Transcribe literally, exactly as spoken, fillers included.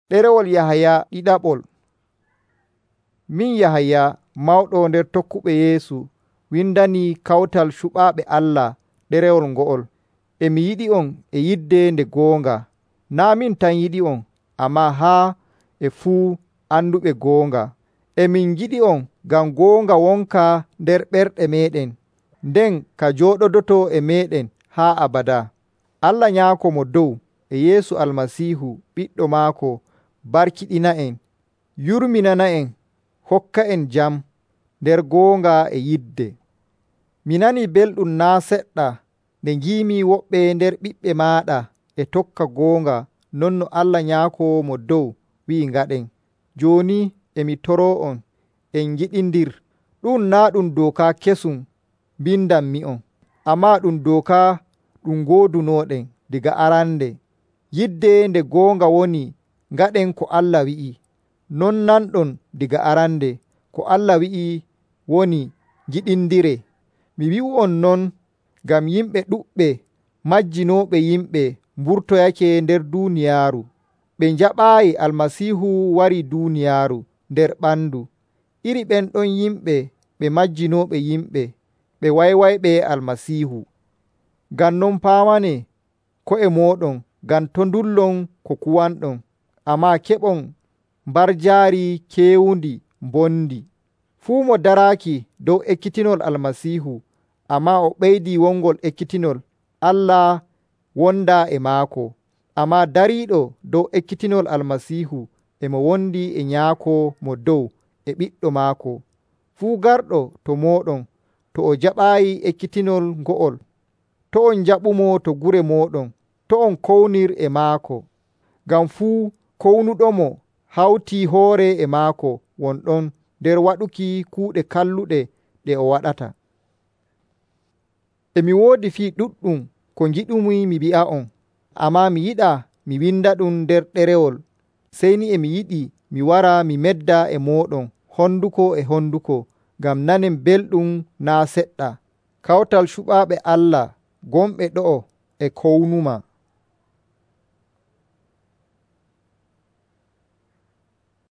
Ɗerewol Yahaya ɗiɗaɓol. Min Yahaya, mawɗo nder tokkuɓe Yeesu, windanii kawtal cuɓaaɓe Allah ɗerewol ngo'ol. E mi yiɗi on e yidde nde goonga. Naa' min tan yiɗi on, ammaa haa e fuu anduɓe goonga. E min ngiɗi on ngam goonga wonka nder ɓerɗe meeɗen, nden ka jooɗodoto e meeɗen haa abadaa. Allah Nyaako Mo Dow e Yeesu Almasiihu Ɓiɗɗo maako barkiɗina'en, yurminana'en, hokka'en jam nder goonga e yidde. Mi nanii belɗum naa' seɗɗa nde ngiimi woɓɓe nder ɓiɓɓe maaɗa e tokka goonga non no Allah Nyaako Mo Dow wi'i ngaɗen. Jooni e mi toroo'on en ngiɗindir. Ɗum naa' ɗum dooka kesum mbindanmi'on, ammaa ɗum dooka ɗum ngoodunooɗen daga arande. Yidde nde goonga woni ngaɗen ko Allah wi'i. Non nanɗon daga arande ko Allah wi'i woni ngiɗindire. Mi wi'u'on non ngam yimɓe ɗuɗɓe majjinooɓe yimɓe mburtoyake nder duuniyaaru. Ɓe njaɓaayi Almasiihu wari duuniyaaru nder ɓandu. Iri ɓen ɗon yimɓe ɓe majjinooɓe yimɓe, ɓe waywayɓe Almasiihu. Ngam non paamane ko'e mooɗon ngam to' ndullon ko kuwanɗon, ammaa keɓon mbarjaari keewundi mbondi. Fuu mo daraaki dow ekkitinol Almasiihu, ammaa o ɓeydii wongol ekkitinol, Allah wondaa e maako. Ammaa dariiɗo dow ekkitinol Almasiihu e mo wondi e Nyaako Mo Dow e Ɓiɗɗo maako. Fuu garɗo to mooɗon to o jaɓaayi ekkitinol ngo'ol, to on njaɓumo to gure mooɗon, to on kownir e maako. Ngam fuu kownuɗomo hawtii hoore e maako wonɗon nder waɗuki kuuɗe kalluɗe ɗe o waɗata. E mi woodi fii ɗuɗɗum ko ngiɗumi mi wi'a'on, ammaa mi yiɗaa mi winda ɗum nder ɗerewol. Sey ni e mi yiɗi mi wara mi medda e mooɗon honduko e honduko, ngam nanen belɗum naa' seɗɗa. Kawtal cuɓaaɓe Allah gonɓe ɗo'o e kownuma.